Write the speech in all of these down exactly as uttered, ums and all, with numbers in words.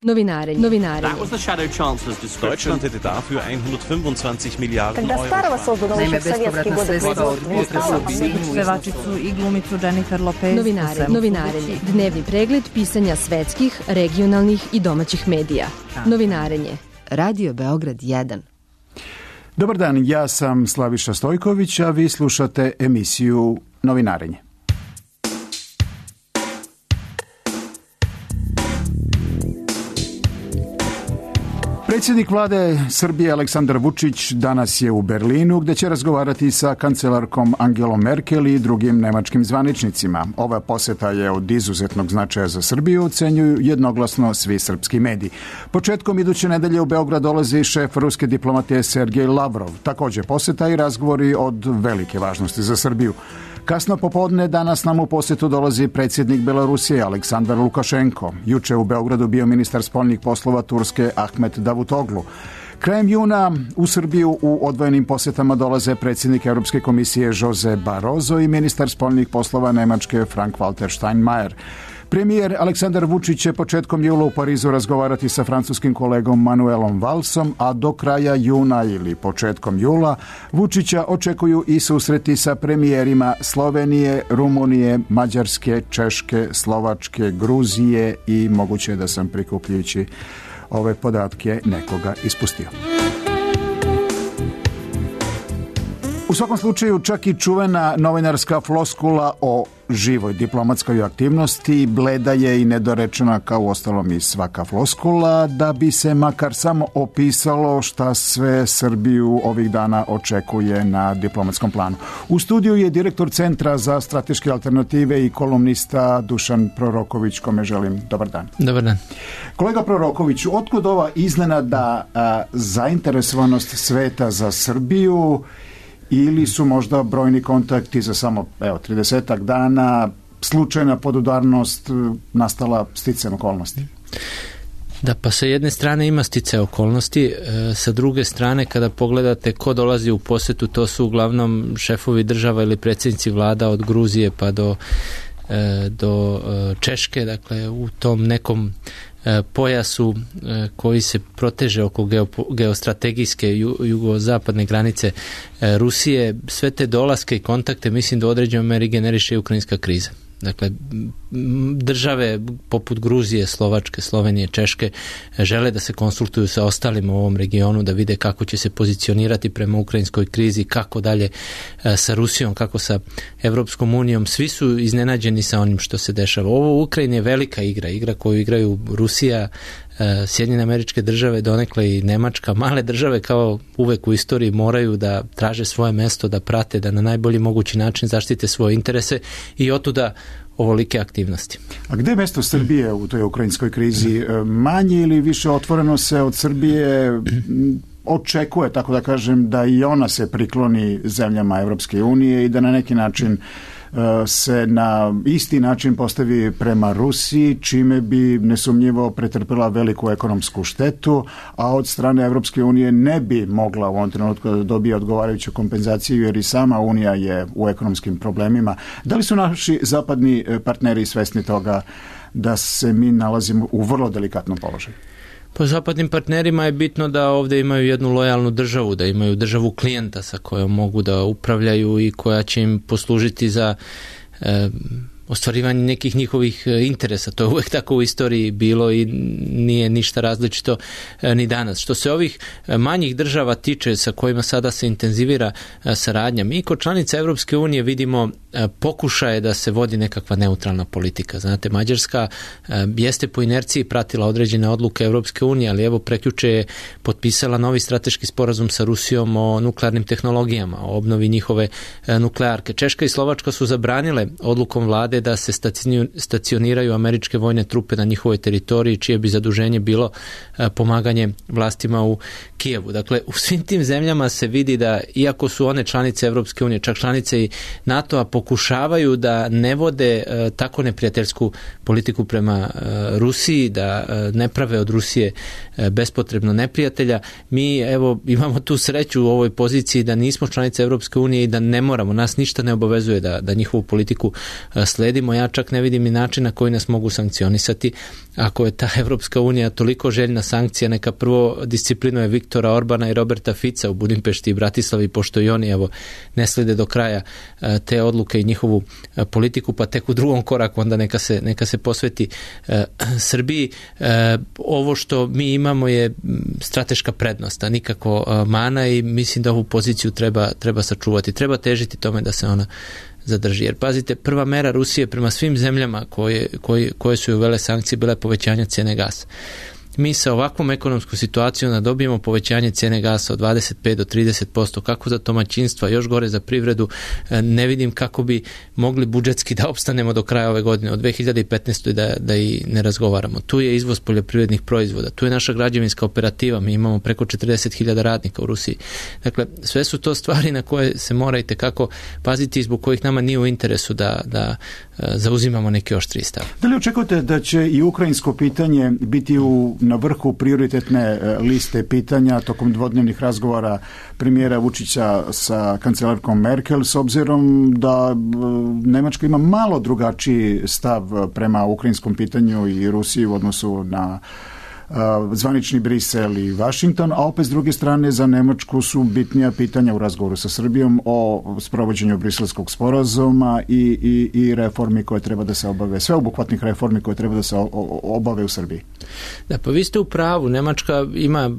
Novinarenje. Novinarenje. That was the shadow chancellor's description. Deutschland hätte dafür hundertfünfundzwanzig Milliarden Когда Старого создано еще в советские годы производство не стало, pevačicu i glumicu Jennifer Lopez. Novinarenje. Novinarenje. Dnevni pregled pisanja svetskih, regionalnih i domaćih medija. Novinarenje. Radio Beograd jedan. Dobar dan, ja sam Slaviša Stojković, a vi slušate emisiju Novinarenje. Predsjednik vlade Srbije Aleksandar Vučić danas je u Berlinu, gde će razgovarati sa kancelarkom Angelom Merkel i drugim nemačkim zvaničnicima. Ova poseta je od izuzetnog značaja za Srbiju, ocenjuju jednoglasno svi srpski mediji. Početkom iduće nedelje u Beograd dolazi šef ruske diplomatije Sergej Lavrov. Također poseta i razgovori od velike važnosti za Srbiju. Kasno popodne danas nam u posjetu dolazi predsjednik Belorusije Aleksandar Lukašenko. Juče u Beogradu bio ministar spoljnih poslova Turske Ahmet Davutoglu. Krajem juna u Srbiju u odvojenim posjetama dolaze predsjednik Europske komisije Jose Barroso i ministar spoljnih poslova Nemačke Frank-Walter Steinmeier. Premijer Aleksandar Vučić će početkom jula u Parizu razgovarati sa francuskim kolegom Manuelom Valsom, a do kraja juna ili početkom jula Vučića očekuju i susreti sa premijerima Slovenije, Rumunije, Mađarske, Češke, Slovačke, Gruzije i moguće da sam prikupljujući ove podatke nekoga ispustio. U svakom slučaju, čak i čuvena novinarska floskula o živoj diplomatskoj aktivnosti bleda je i nedorečena kao uostalom i svaka floskula, da bi se makar samo opisalo šta sve Srbiju ovih dana očekuje na diplomatskom planu. U studiju je direktor Centra za strateške alternative i kolumnista Dušan Proroković, kome želim dobar dan. Dobar dan. Kolega Prorokoviću, otkud ova iznenada a, zainteresovanost sveta za Srbiju, ili su možda brojni kontakti za samo evo tridesetak dana, slučajna podudarnost nastala sticajem okolnosti? Da, pa sa jedne strane ima sticaj okolnosti, e, sa druge strane kada pogledate ko dolazi u posjetu, to su uglavnom šefovi država ili predsjednici vlada od Gruzije pa do, e, do e, Češke, dakle u tom nekom pojasu koji se proteže oko geostrategijske jugozapadne granice Rusije. Sve te dolaske i kontakte mislim da u određenoj meri generiše i ukrajinska kriza. Dakle, države poput Gruzije, Slovačke, Slovenije, Češke žele da se konsultuju sa ostalima u ovom regionu, da vide kako će se pozicionirati prema ukrajinskoj krizi, kako dalje sa Rusijom, kako sa Evropskom unijom. Svi su iznenađeni sa onim što se dešava. Ovo u Ukrajini je velika igra, igra koju igraju Rusija, Sjedinjene Američke Države, donekle i Nemačka. Male države kao uvek u istoriji moraju da traže svoje mesto, da prate, da na najbolji mogući način zaštite svoje interese i otuda ovolike aktivnosti. A gde je mesto Srbije u toj ukrajinskoj krizi? Manje ili više otvoreno se od Srbije očekuje, tako da kažem, da i ona se prikloni zemljama Evropske unije i da na neki način se na isti način postavi prema Rusiji, čime bi nesumnjivo pretrpela veliku ekonomsku štetu, a od strane Evropske unije ne bi mogla u ovom trenutku da dobije odgovarajuću kompenzaciju, jer i sama Unija je u ekonomskim problemima. Da li su naši zapadni partneri svesni toga da se mi nalazimo u vrlo delikatnom položaju? Po zapadnim partnerima je bitno da ovdje imaju jednu lojalnu državu, da imaju državu klijenta sa kojom mogu da upravljaju i koja će im poslužiti za e, ostvarivanje nekih njihovih interesa. To je uvijek tako u istoriji bilo i nije ništa različito e, ni danas. Što se ovih manjih država tiče sa kojima sada se intenzivira e, saradnja, mi kod članica Evropske unije vidimo e, pokušaje da se vodi nekakva neutralna politika. Znate, Mađarska e, jeste po inerciji pratila određene odluke Evropske unije, ali evo prekjuče je potpisala novi strateški sporazum sa Rusijom o nuklearnim tehnologijama, o obnovi njihove e, nuklearke. Češka i Slovačka su zabranile odlukom vlade da se stacioniraju američke vojne trupe na njihovoj teritoriji, čije bi zaduženje bilo pomaganje vlastima u Kijevu. Dakle, u svim tim zemljama se vidi da, iako su one članice Evropske unije, čak članice i NATO-a, pokušavaju da ne vode tako neprijateljsku politiku prema Rusiji, da ne prave od Rusije bespotrebno neprijatelja. Mi, evo, imamo tu sreću u ovoj poziciji da nismo članice Evropske unije i da ne moramo, nas ništa ne obavezuje da, da njihovu politiku sledi. slijedimo. Ja čak ne vidim ni način na koji nas mogu sankcionisati. Ako je ta Evropska unija toliko željna sankcija, neka prvo disciplinuje Viktora Orbana i Roberta Fica u Budimpešti i Bratislavi, pošto i oni evo, ne slede do kraja te odluke i njihovu politiku, pa tek u drugom koraku onda neka se, neka se posveti e, Srbiji. E, ovo što mi imamo je strateška prednost, a nikako e, mana, i mislim da ovu poziciju treba, treba sačuvati. Treba težiti tome da se ona zadrži. Jer pazite, prva mera Rusije prema svim zemljama koje, koje, koje su uvele sankcije bila je povećanje cijene gasa. Mi sa ovakvom ekonomskom situacijom da dobijemo povećanje cijene gasa od dvadeset pet do trideset posto, kako za domaćinstva, još gore za privredu, ne vidim kako bi mogli budžetski da opstanemo do kraja ove godine, od dve hiljade petnaeste. da, da i ne razgovaramo. Tu je izvoz poljoprivrednih proizvoda, tu je naša građevinska operativa, mi imamo preko četrdeset hiljada radnika u Rusiji. Dakle, sve su to stvari na koje se mora i tekako paziti i zbog kojih nama nije u interesu da, da zauzimamo neki oštriji stav. Da li očekujete da će i ukrajinsko pitanje biti u na vrhu prioritetne liste pitanja tokom dvodnevnih razgovora premijera Vučića sa kancelarkom Merkel, s obzirom da Nemačka ima malo drugačiji stav prema ukrajinskom pitanju i Rusiji u odnosu na zvanični Brisel i Washington, a opet s druge strane za Nemačku su bitnija pitanja u razgovoru sa Srbijom o sprovođenju briselskog sporazuma i, i, i reformi koje treba da se obave, sveobuhvatnih reformi koje treba da se obave u Srbiji. Da, pa vi ste u pravu, Nemačka ima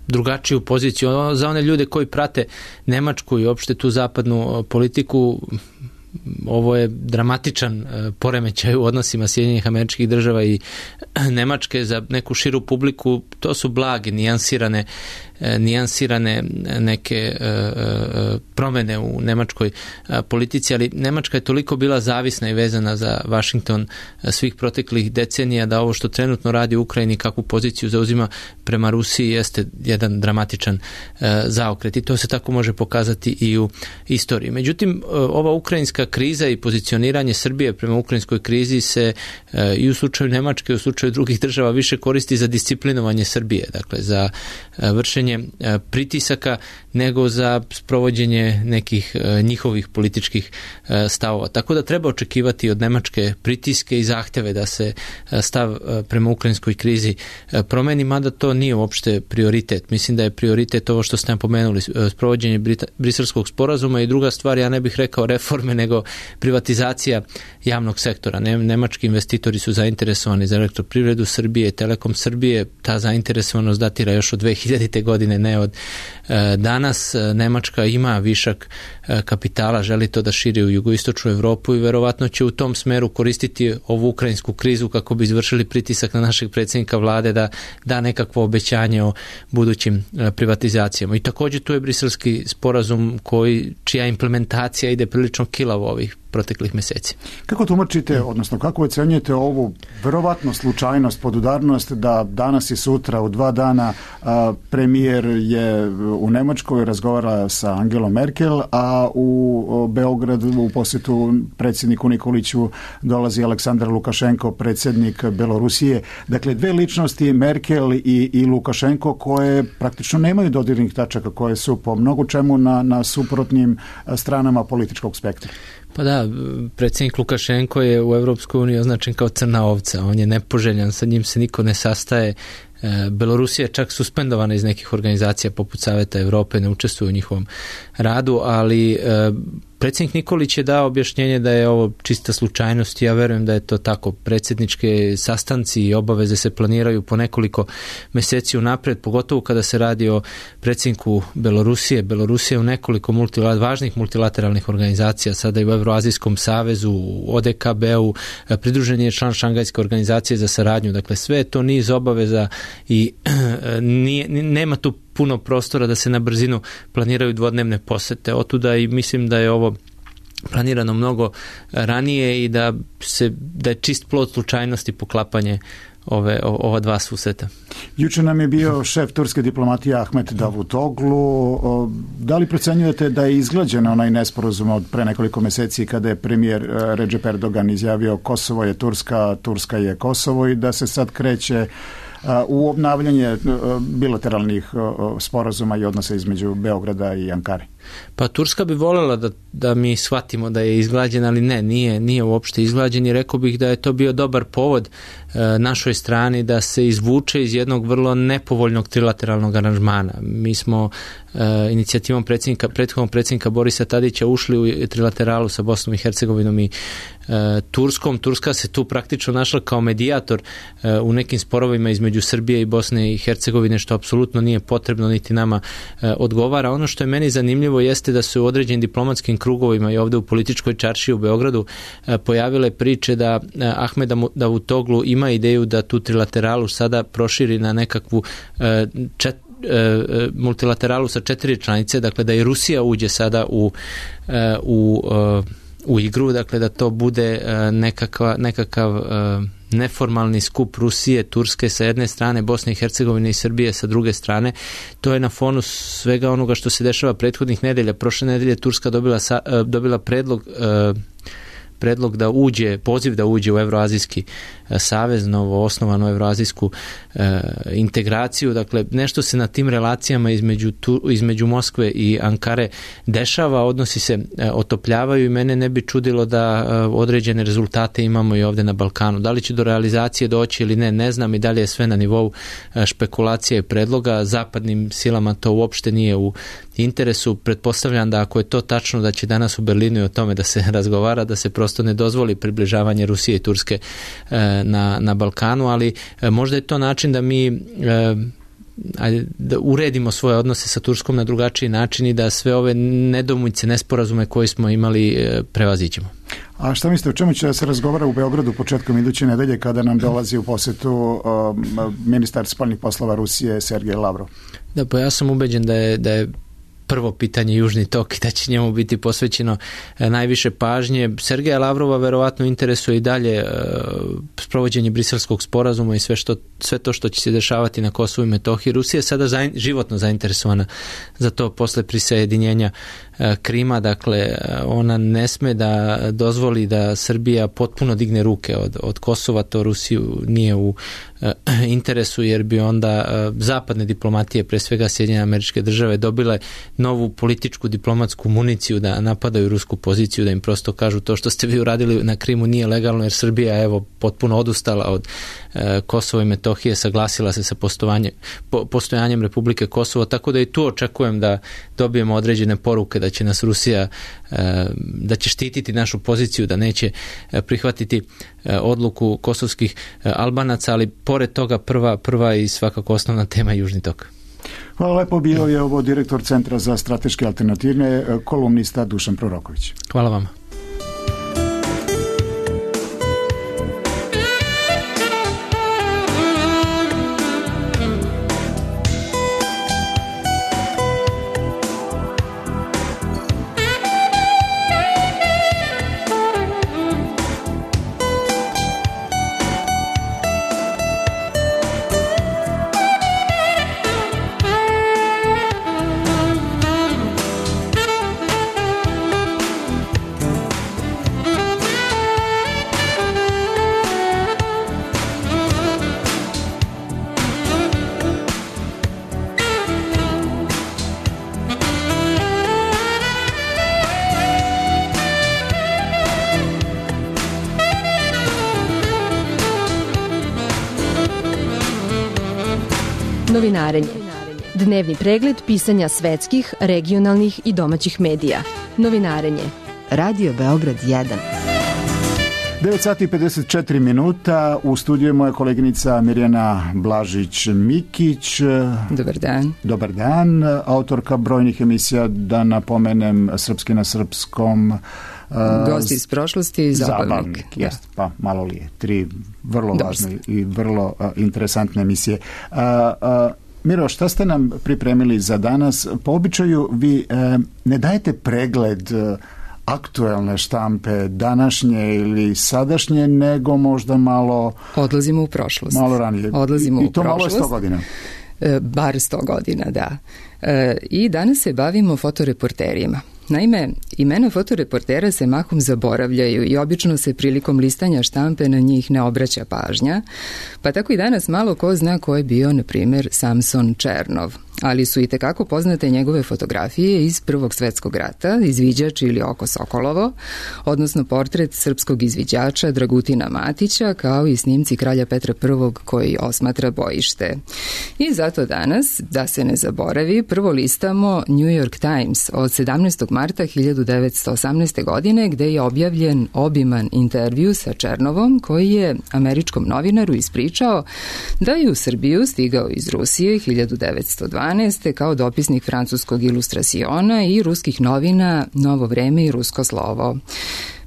drugačiju poziciju. Za one ljude koji prate Nemačku i opšte tu zapadnu politiku, ovo je dramatičan poremećaj u odnosima Sjedinjenih Američkih Država i Nemačke. Za neku širu publiku to su blage, nijansirane, nijansirane neke promjene u nemačkoj politici, ali Nemačka je toliko bila zavisna i vezana za Washington svih proteklih decenija da ovo što trenutno radi u Ukrajini, kakvu poziciju zauzima prema Rusiji, jeste jedan dramatičan zaokret i to se tako može pokazati i u istoriji. Međutim, ova ukrajinska kriza i pozicioniranje Srbije prema ukrajinskoj krizi se i u slučaju Nemačke i u slučaju drugih država više koristi za disciplinovanje Srbije, dakle za vršenje pritisaka nego za sprovođenje nekih njihovih političkih stavova. Tako da treba očekivati od Nemačke pritiske i zahteve da se stav prema ukrajinskoj krizi promeni, mada to nije uopšte prioritet. Mislim da je prioritet ovo što ste nam pomenuli, sprovođenje briselskog sporazuma i druga stvar, ja ne bih rekao reforme, nego privatizacija javnog sektora. Nemački investitori su zainteresovani za elektroprivredu Srbije, Telekom Srbije, ta zainteresovanost datira još od dve hiljadite. godine, ne od e, danas. Nemačka ima višak e, kapitala, želi to da širi u jugoistočnu Evropu i verovatno će u tom smeru koristiti ovu ukrajinsku krizu kako bi izvršili pritisak na našeg predsjednika vlade da da nekakvo obećanje o budućim e, privatizacijama. I također tu je briselski sporazum koji, čija implementacija ide prilično kilavo ovih proteklih mjeseci. Kako tumačite, odnosno kako ocenjujete ovu verovatno slučajnost, podudarnost da danas i sutra u dva dana a, premijer je u Nemačkoj, razgovara sa Angelom Merkel, a u Beogradu u posjetu predsjedniku Nikoliću dolazi Aleksandar Lukašenko, predsjednik Belorusije. Dakle, dve ličnosti, Merkel i, i Lukašenko, koje praktično nemaju dodirnih tačaka, koje su po mnogo čemu na, na suprotnim stranama političkog spektra. Pa da, predsjednik Lukašenko je u Evropskoj uniji označen kao crna ovca, on je nepoželjan, sa njim se niko ne sastaje. Belorusija je čak suspendovana iz nekih organizacija poput Saveta Evrope, ne učestvuje u njihovom radu, ali predsjednik Nikolić je dao objašnjenje da je ovo čista slučajnost i ja verujem da je to tako. Predsjedničke sastanci i obaveze se planiraju po nekoliko mjeseci unaprijed, pogotovo kada se radi o predsjedniku Belorusije. Belorusija je u nekoliko multilater, važnih multilateralnih organizacija, sada i u Evroazijskom savezu, u O D K B-u, pridružen je član Šangajske organizacije za saradnju. Dakle, sve je to niz obaveza i nije, nema tu puno prostora da se na brzinu planiraju dvodnevne posete. Otuda i mislim da je ovo planirano mnogo ranije i da se da je čist plod slučajnosti poklapanje ove, ova dva susreta. Juče nam je bio šef turske diplomatije Ahmet Davutoglu. Da li procenjujete da je izglađen onaj nesporazum od pre nekoliko mjeseci kada je premijer Recep Erdogan izjavio Kosovo je Turska, Turska je Kosovo i da se sad kreće u obnavljanje bilateralnih sporazuma i odnosa između Beograda i Ankare? Pa Turska bi voljela da, da mi shvatimo da je izglađen, ali ne, nije, nije uopšte izglađen i rekao bih da je to bio dobar povod e, našoj strani da se izvuče iz jednog vrlo nepovoljnog trilateralnog aranžmana. Mi smo e, inicijativom predsjednika, prethodnog predsjednika Borisa Tadića ušli u trilateralu sa Bosnom i Hercegovinom i e, Turskom. Turska se tu praktično našla kao medijator e, u nekim sporovima između Srbije i Bosne i Hercegovine, što apsolutno nije potrebno niti nama e, odgovara. Ono što je meni zanimljivo jeste da su u određenim diplomatskim krugovima i ovdje u političkoj čaršiji u Beogradu e, pojavile priče da e, Ahmed Davutoglu ima ideju da tu trilateralu sada proširi na nekakvu e, čet, e, multilateralu sa četiri članice, dakle da i Rusija uđe sada u, e, u, e, u igru, dakle da to bude e, nekakva, nekakav e, neformalni skup Rusije, Turske sa jedne strane, Bosne i Hercegovine i Srbije sa druge strane. To je na fonu svega onoga što se dešava prethodnih nedelja. Prošle nedelje Turska dobila, sa, dobila predlog predlog da uđe, poziv da uđe u Evroazijski savez, novo osnovanu Evroazijsku e, integraciju. Dakle, nešto se na tim relacijama između, tu, između Moskve i Ankare dešava, odnosi se e, otopljavaju i mene ne bi čudilo da e, određene rezultate imamo i ovdje na Balkanu. Da li će do realizacije doći ili ne, ne znam i da li je sve na nivou e, špekulacija i predloga. Zapadnim silama to uopšte nije u interesu. Pretpostavljam da ako je to tačno da će danas u Berlinu i o tome da se razgovara, da se prosto ne dozvoli približavanje Rusije i Turske e, na, na Balkanu, ali e, možda je to način da mi e, ajde, da uredimo svoje odnose sa Turskom na drugačiji način i da sve ove nedomice, nesporazume koje smo imali e, prevazićemo. A šta mislite, o čemu će da se razgovara u Beogradu početkom iduće nedelje kada nam dolazi u posetu um, ministar spoljnih poslova Rusije Sergej Lavrov? Da, pa ja sam ubeđen da je, da je prvo pitanje Južni tok i da će njemu biti posvećeno e, najviše pažnje. Sergeja Lavrova verovatno interesuje i dalje e, sprovođenje Briselskog sporazuma i sve, što, sve to što će se dešavati na Kosovu i Metohiji. Rusija je sada zain, životno zainteresovana za to posle prisajedinjenja e, Krima. Dakle, ona ne sme da dozvoli da Srbija potpuno digne ruke od, od Kosova. To Rusiju nije u e, interesu, jer bi onda e, zapadne diplomatije, pre svega Sjedinjene Američke Države, dobile novu političku diplomatsku municiju da napadaju rusku poziciju, da im prosto kažu to što ste vi uradili na Krimu nije legalno, jer Srbija evo potpuno odustala od e, Kosova i Metohije, saglasila se sa po, postojanjem Republike Kosovo, tako da i tu očekujem da dobijemo određene poruke da će nas Rusija, e, da će štititi našu poziciju, da neće e, prihvatiti e, odluku kosovskih e, Albanaca, ali pored toga prva, prva i svakako osnovna tema je Južni tok. Hvala lepo, bio je ovo direktor Centra za strateške alternative, kolumnista Dušan Proroković. Hvala vama. Novinarenje. Dnevni pregled pisanja svetskih, regionalnih i domaćih medija. Novinarenje. Radio Beograd jedan. devet sati i pedeset četiri minuta. U studiju je moja koleginica Mirjana Blažić-Mikić. Dobar dan. Dobar dan. Autorka brojnih emisija, da napomenem, Srpski na srpskom. Gosti iz prošlosti i zabavnik. Zabavnik, jest, pa malo li je. Tri vrlo važne i vrlo uh, interesantne emisije. Uh, uh, Miro, šta ste nam pripremili za danas? Po običaju vi uh, ne dajete pregled uh, aktuelne štampe, današnje ili sadašnje, nego možda malo... Odlazimo u prošlost. Malo ranije. Odlazimo I, u i to prošlost. malo je sto godina. E, bar sto godina, da. E, I danas se bavimo fotoreporterima. Naime, imena fotoreportera se mahom zaboravljaju i obično se prilikom listanja štampe na njih ne obraća pažnja, pa tako i danas malo ko zna ko je bio, na primjer, Samson Černov. ali su i tekako poznate njegove fotografije iz Prvog svetskog rata, Izviđač ili Oko Sokolovo, odnosno portret srpskog izviđača Dragutina Matića, kao i snimci kralja Petra Prvog koji osmatra bojište. I zato danas, da se ne zaboravi, prvo listamo New York Times od sedamnaestog marta hiljadu devetsto osamnaeste. godine, gde je objavljen obiman intervju sa Černovom, koji je američkom novinaru ispričao da je u Srbiju stigao iz Rusije hiljadu devetsto dvanaeste. kao dopisnik francuskog Ilustrasiona i ruskih novina Novo vreme i Rusko slovo.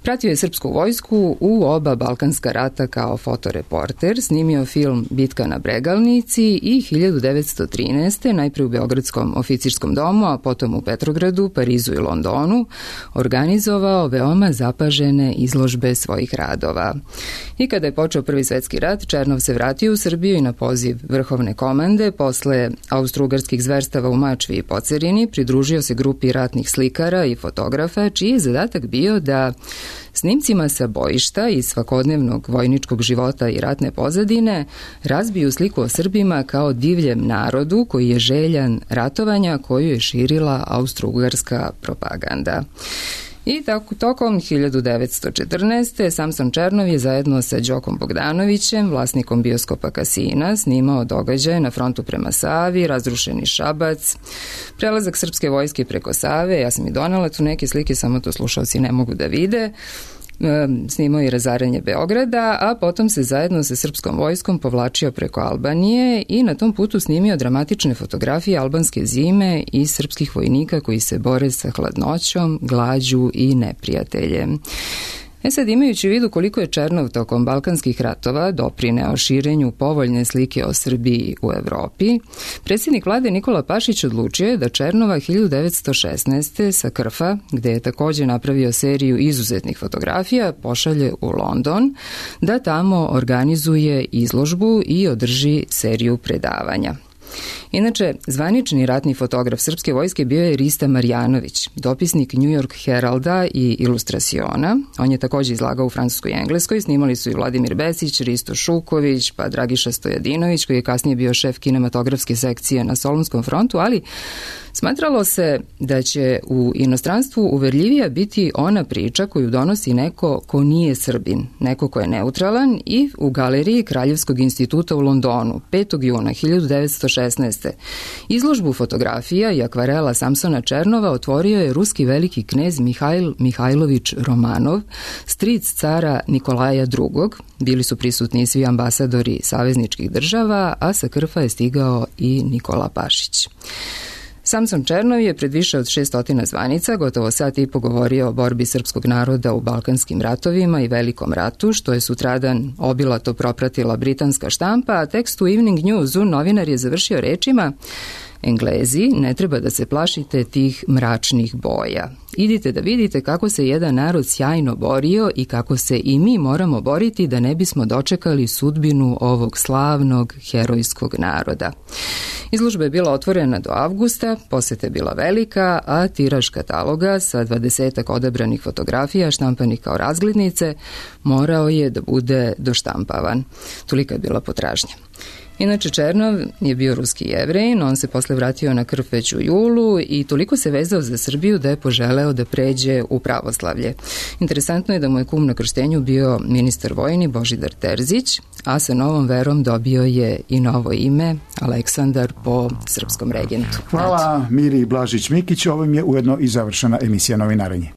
Pratio je srpsku vojsku u oba Balkanska rata kao fotoreporter, snimio film Bitka na Bregalnici i hiljadu devetsto trinaeste. najpre u Beogradskom oficirskom domu, a potom u Petrogradu, Parizu i Londonu, organizovao veoma zapažene izložbe svojih radova. I kada je počeo Prvi svetski rat, Černov se vratio u Srbiju i na poziv vrhovne komande, posle austrougarskih zverstava u Mačvi i Pocerini, pridružio se grupi ratnih slikara i fotografa, čiji je zadatak bio da snimcima sa bojišta iz svakodnevnog vojničkog života i ratne pozadine razbiju sliku o Srbima kao divljem narodu koji je željan ratovanja koju je širila austrougarska propaganda. I tako, tokom hiljadu devetsto četrnaeste. Samson Černov je zajedno sa Đokom Bogdanovićem, vlasnikom bioskopa Kasina, snimao događaje na frontu prema Savi, razrušeni Šabac, prelazak srpske vojske preko Save. Ja sam i donela tu neke slike, samo to slušalci ne mogu da vide. Snimao i razaranje Beograda, a potom se zajedno sa srpskom vojskom povlačio preko Albanije i na tom putu snimio dramatične fotografije albanske zime i srpskih vojnika koji se bore sa hladnoćom, glađu i neprijateljem. E sad, imajući u vidu koliko je Černov tokom balkanskih ratova doprineo širenju povoljne slike o Srbiji u Evropi, predsjednik vlade Nikola Pašić odlučio je da Černova hiljadu devetsto šesnaeste. sa Krfa, gde je takođe napravio seriju izuzetnih fotografija, pošalje u London, da tamo organizuje izložbu i održi seriju predavanja. Inače, zvanični ratni fotograf srpske vojske bio je Rista Marjanović, dopisnik New York Heralda i Ilustrasiona. On je takođe izlagao u Francuskoj i Engleskoj, snimali su i Vladimir Besić, Risto Šuković, pa Dragiša Stojadinović, koji je kasnije bio šef kinematografske sekcije na Solunskom frontu, ali smatralo se da će u inostranstvu uverljivija biti ona priča koju donosi neko ko nije Srbin, neko ko je neutralan, i u galeriji Kraljevskog instituta u Londonu petog juna hiljadu devetsto šesnaeste. izložbu fotografija i akvarela Samsona Černova otvorio je ruski veliki knez Mihajl Mihajlović Romanov, stric cara Nikolaja drugog. Bili su prisutni svi ambasadori savezničkih država, a sa Krfa je stigao i Nikola Pašić. Samson Černov je pred više od šeststotina zvanica gotovo sat i po govorio o borbi srpskog naroda u Balkanskim ratovima i Velikom ratu, što je sutradan obilato propratila britanska štampa, a tekst u Evening Newsu novinar je završio rečima: Englezi, ne treba da se plašite tih mračnih boja. Idite da vidite kako se jedan narod sjajno borio i kako se i mi moramo boriti da ne bismo dočekali sudbinu ovog slavnog herojskog naroda. Izložba je bila otvorena do avgusta, poseta je bila velika, a tiraž kataloga sa dvadesetak odabranih fotografija štampanih kao razglednice morao je da bude doštampavan. Tolika je bila potražnja. Inače, Černov je bio ruski Jevrejin, on se posle vratio na Krf već u julu i toliko se vezao za Srbiju da je poželeo da pređe u pravoslavlje. Interesantno je da mu je kum na krštenju bio ministar vojni Božidar Terzić, a sa novom verom dobio je i novo ime Aleksandar po srpskom regentu. Hvala Miri Blažić-Mikić, ovim je ujedno i završena emisija Novinarenje.